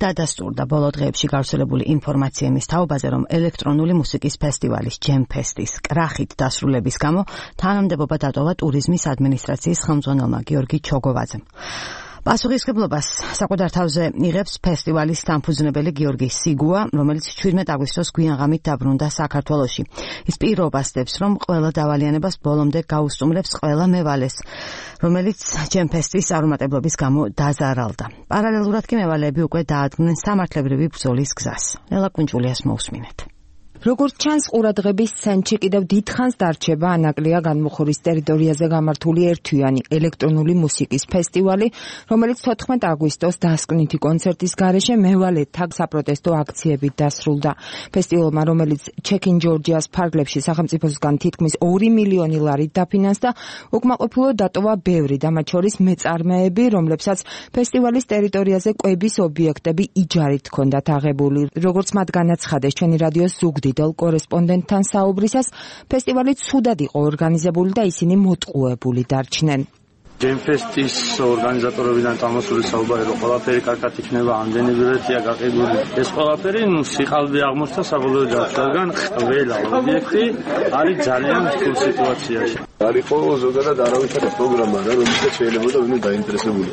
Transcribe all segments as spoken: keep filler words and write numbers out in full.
დადასტურდა ბოლო დღეებში გავრცელებული ინფორმაცია იმის თაობაზე, რომ ელექტრონული მუსიკის ფესტივალის ჯემფესტის კრახით დასრულების გამო თანამდებობა დატოვა ტურიზმის ადმინისტრაციის ხელმძღვანელმა გიორგი ჩოგოვაძემ. პასუხისმგებლობას საყდარ თავზე იღებს ფესტივალის დამფუძნებელი გიორგი სიგუა, რომელიც შვიდმეტ აგვისტოს გვიანღამით დაბრუნდა საქართველოში. ის პირობას დებს, რომ ყველა დავალიანებას ბოლომდე გაუსტუმრებს ყველა მევალეს, რომელიც ჯემფესტის არომატებლობის გამო დაზარალდა. პარალელურად კი მევალეები უკვე დაადგნენ სამართლებრივი ბრძოლის გზას. ნელა კუნჭულიას მოусმინეთ. როგორც ჩანს, ყურადღების ცენტრში კიდევ დიდხანს დარჩება ანაკლია განმუხურის ტერიტორიაზე გამართული ერთთვიანი ელექტრონული მუსიკის ფესტივალი, რომელიც თოთხმეტ აგვისტოს დასკვნითი კონცერტის გარეშე მევალეთა საპროტესტო აქციებით დასრულდა. ფესტივალმა, რომელიც ჩეკინ ჯორჯიას ფარგლებში სახელმწიფოსგან თითქმის ორი მილიონი ლარით დაფინანსდა, უკმაყოფილო დატოვა ბევრი და მათ შორის მეწარმეები, რომლებსაც ფესტივალის ტერიტორიაზე კვების ობიექტები იჯარით ჰქონდათ აღებული. როგორც მათ განაცხადეს ჩვენი რადიოს ზუგდიდ კორესპონდენტთან საუბრისას, ფესტივალი ცუდად იყო ორგანიზებული და ისინი მოტყუებული დარჩნენ. ჯემფესტის ორგანიზატორებიდან წამოსული საუბარი, რომ ყველაფერი კარგად იქნება, ამდენი ბილეთია გაყიდული. ეს ყველაფერი სიყალბე აღმოჩნდა საბოლოო ჯამში, რადგან ყველა ობიექტი არის ძალიან რთულ სიტუაციაში. არ იყო ზოგადად არავითარი პროგრამა, რომელსაც შეიძლება ვინმე დაინტერესებული.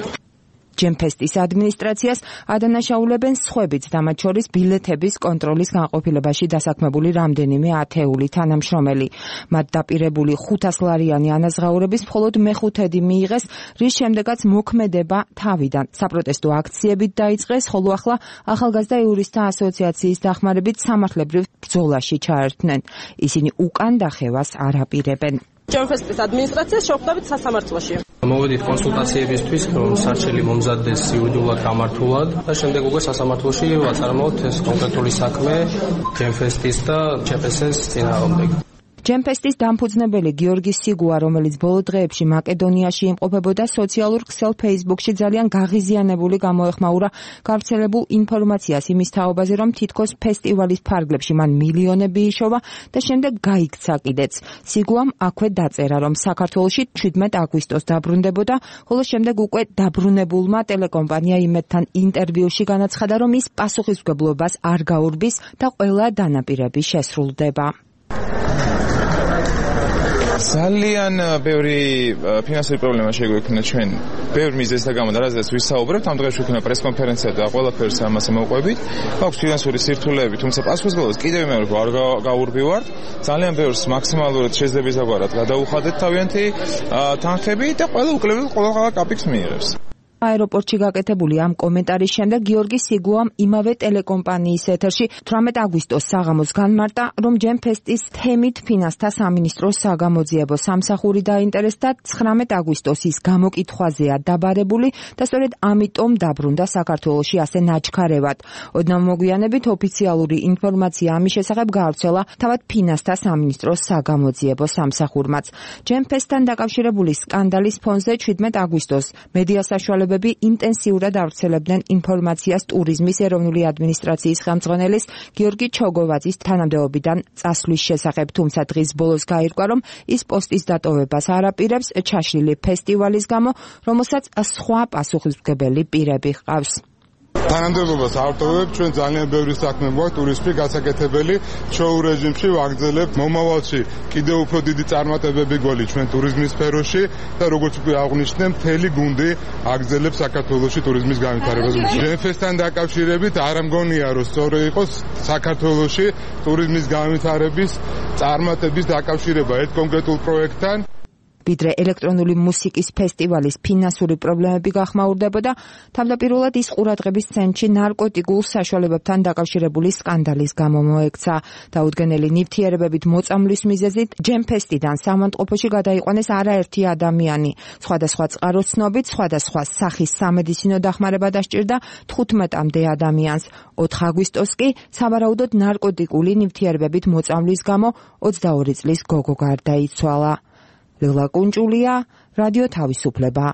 ჯემფესტის ადმინისტრაციას ადანაშაულებენ სხვებიც და მათ შორის ბილეთების კონტროლის განყოფილებაში დასაქმებული რამდენიმე ათეული თანამშრომელი. მათ დაპირებული ხუთას ლარიანი ანაზღაურების მხოლოდ მეხუთედი მიიღეს, რის შემდეგაც მოქმედება თავიდან საპროტესტო აქციებით დაიწყეს, ხოლო ახლა ახალგაზრდა იურისტთა ასოციაციის დახმარებით სამართლებრივ ბრძოლაში ჩაერთნენ. ისინი უკან დახევას არ აპირებენ. ჯემფესტის ადმინისტრაციას შევხვდებით სასამართლოში. მოვედით კონსულტაციებისთვის, რომ სარჩელი მომზადდეს იურიდიულად გამართულად და შემდეგ უკვე სასამართლოში ვაწარმოოთ ეს კონკრეტული საქმე ჯემფესტის და ჩეპესეს წინააღმდეგ. ჯემფესტის დამფუძნებელი გიორგი სიგუა, რომელიც ბოლო დღეებში მაკედონიაში იმყოფებოდა, სოციალურ ქსელ Facebook-ში ძალიან გაღიზიანებული გამოეხმაურა გავრცელებულ ინფორმაციას იმის თაობაზე, რომ თითქოს ფესტივალის ფარგლებში მან მილიონები იშოვა და შემდეგ გაიქცა კიდეც. სიგუამ აქვე დაწერა, რომ საქართველოში შვიდმეტ აგვისტოს დაბრუნდებოდა, ხოლო შემდეგ უკვე დაბრუნებულმა ტელეკომპანია იმედთან ინტერვიუში განაცხადა, რომ ის პასუხისმგებლობას არ გაურბის და ყველა დანაპირები შესრულდება. ძალიან ბევრი ფინანსური პრობლემა შეგვექნა ჩვენ ბევრ მიზეზთა გამო და რაზეც ვისაუბრებთ. ამ დღეს შექმნა პრესკონფერენცია და ყველაფერს ამაზე მოვყვებით. აქვს ფინანსური სირთულეები, თუმცა პასუხისმგებლობას კიდევ იმეორებ არ გაურბივართ. ძალიან ბევრს მაქსიმალურად შესაძლებლად გადაუხადეთ თავიანთი თანხები და ყველა უკლებელ ყველა კაპიკს მიიღებს. აეროპორტში გაკეთებული ამ კომენტარის შემდეგ გიორგი სიგუამ იმავე ტელეკომპანიის ეთერში თვრამეტ აგვისტოს საღამოს განმარტა, რომ ჯემფესტის თემით ფინანსთა სამინისტროს საგამოძიებო სამსახური დაინტერესდა. ცხრამეტ აგვისტოს ის გამოკითხვაზეა დაბარებული და სწორედ ამიტომ დაბრუნდა საქართველოში ასე ნაჩქარევად. ოდნავ მოგვიანებით ოფიციალური ინფორმაცია ამის შესახებ გავრცელა თავად ფინანსთა სამინისტროს საგამოძიებო სამსახურმაც. ჯემფესტთან დაკავშირებული სკანდალის ფონზე შვიდმეტ აგვისტოს მედია საშუალებები ინტენსიურად ავრცელებდნენ ინფორმაციას ტურიზმის ეროვნული ადმინისტრაციის ხელმძღვანელის გიორგი ჩოგოვაძის თანამდებობიდან წასვლის შესახებ, თუმცა დღის ბოლოს გაირკვა, რომ ის პოსტის დატოვებას არ აპირებს ჩაშლილი ფესტივალის გამო, რომელსაც სხვა პასუხისმგებელი პირები ჰყავს. თანამდებობას არ ვტოვებთ, ჩვენ ძალიან ბევრი საქმე გვაქვს ტურიზმში გასაკეთებელი, შოუ რეჟიმში ვაგრძელებთ მომავალში კიდევ უფრო დიდი წარმატებები გველი ჩვენ ტურიზმის სფეროში და როგორც უკვე აღნიშნე, მთელი გუნდი აგრძელებს საქართველოში ტურიზმის განვითარებას. ჯემფესტთან დაკავშირებით არ მგონია, რომ სწორი იყოს საქართველოში ტურიზმის განვითარების წარმატების დაკავშირება ერთ კონკრეტულ პროექტთან. ვიდრე ელექტრონული მუსიკის ფესტივალის ფინანსური პრობლემები გახმაურდებოდა, თავდაპირველად ის ყურადღების ცენტრში ნარკოტიკულ საშუალებებთან დაკავშირებული სკანდალის გამო მოექცა. დაუდგენელი ნივთიერებებით მოწამვლის მიზეზით ჯემფესტიდან სამონტყოფოში გადაიყვანეს არაერთი ადამიანი. სხვადასხვა წყაროს ცნობით, სხვადასხვა სახის სამედიცინო დახმარება დასჭირდა თხუთმეტამდე ადამიანს. ოთხ აგვისტოს კი სავარაუდოდ ნარკოტიკული ნივთიერებებით მოწამვლის გამო ოცდაორი წლის გოგო გარდაიცვალა. ლელა კუნჭულია, რადიო თავისუფლება.